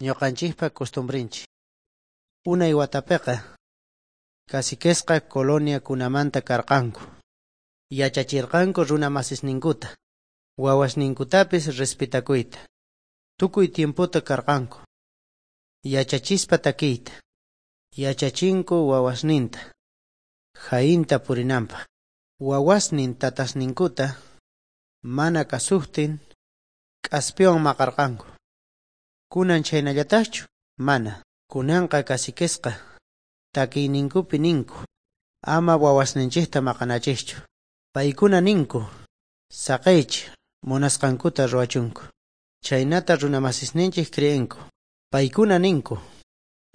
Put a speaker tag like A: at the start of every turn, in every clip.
A: Ñuqanchikpa costumbrenchik. Unay watapiqa caciquesqa coloniakunamanta karqanku. Yachachirqanku runa masisninkuta, wawasninkutapis respetakuyta. Tukuy tiempota karqanku. Yachachispa takiyta. Yachachinku wawasninta. Jainta purinanpaq. Wawasnin tatasninkuta mana kasuqtin k'aspiwan maqarqanku. Kunan chhaynallataqchu? Mana. Kunanqa caciquesqa takiyninkupi ninku ama wawasninchikta maqanachikchu. Paykuna ninku saqiychik munasqankuta ruwachunku. Chhaynata runamasisninchik creenku. Paykuna ninku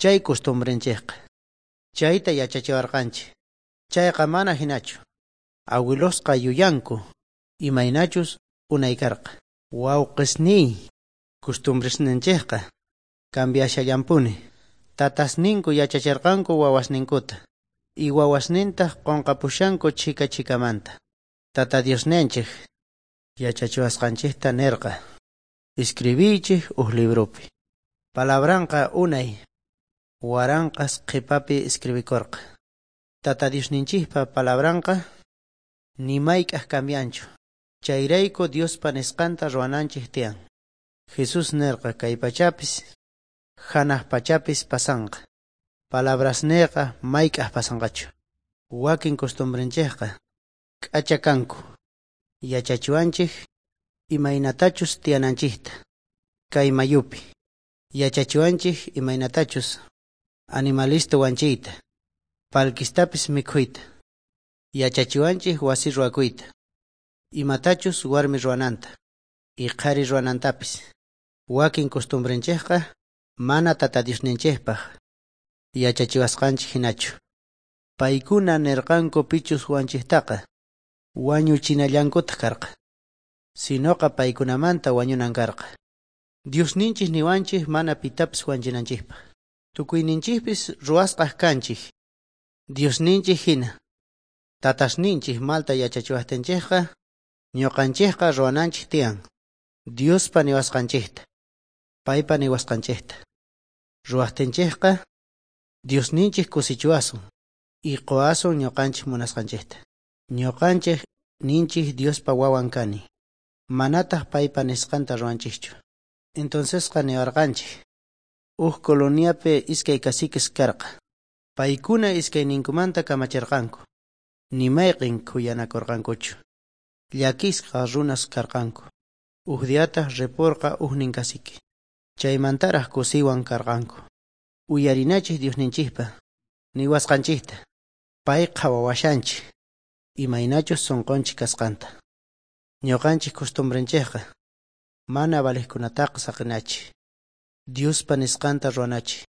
A: chay costumbrenchikqa. Chayta yachachiwarqanchik. Chayqa mana hinachu. Abuelosqa yuyanku imaynachus unay karqa. Wawqisniy costumbresninchikqa cambiashallampuni. Tatasninku yachachirqanku wawasninkuta. Y wawasnintaq qunqapushanku chhika chhikamanta. Tata Diosninchik yachachiwasqanchikta nirqa. Escribiychik uj libropi. Palabranqa unay waranqas qhipapi escribikurqa. Tata Diosninchikpa palabranqa ni mayk'aq cambianchu. Chayrayku Diospa nisqanta ruwananchik tiyan. Jesús nirqa kay pachapis hanaq pachapis pasanqa. Palabrasniyqa mayk'aq pasanqachu. Wakin costumbrenchikqa k'acha kanku. Yachachiwanchik imaynatachus tiyananchikta. Kay mayupi. Yachachiwanchik imaynatachus animalista wanchiyta. Palkistapis mikhuyta. Yachachiwanchik wasi ruwakuyta. Imatachus warmi ruwananta. Y qhari ruwanantapis. Wakin costumbrenchikqa mana tata Diosninchikpaq yachachiwasqanchik hinachu. Paykuna nirqanku pichus wanchiktaqa wañuchinallankutaq karqa. Sinoqa paykunamanta wañunan karqa. Diosninchik niwanchik mana pitapis wanchinanchikpaq. Tukuyninchikpis ruwasqaq kanchik. Diosninchik hina. Tatasninchik malta yachachiwaqtinchikqa ñuqanchikqa ruwananchik tiyan. Diospa niwasqanchikta. Paypa niwasqanchikta. Ruwaqtinchikqa Diosninchik kusichiwasun y quwasun ñuqanchik munasqanchikta. Ñuqanchik ninchik Diospa wawan kani. Manataq paypa nisqanta ruwanchikchu. Entoncesqa niwarqanchik. Uj coloniapi iskay caciques karqa. Paykuna iskayninkumanta kamachirqanku. Ni mayqin khuyanakurqankuchu. Llakisqa runas karqanku. Uj diataq ripurqa ujnin cacique. Chaymantaraq kusiywan karqanku. Uyarinachik Diosninchikpa niwasqanchikta. Pay qhawawashanchik imaynachus sunqunchik kasqanta. Ñuqanchik costumbrenchikqa mana valiqkunataqa saqinachik. Diospa nisqanta ruwanachik.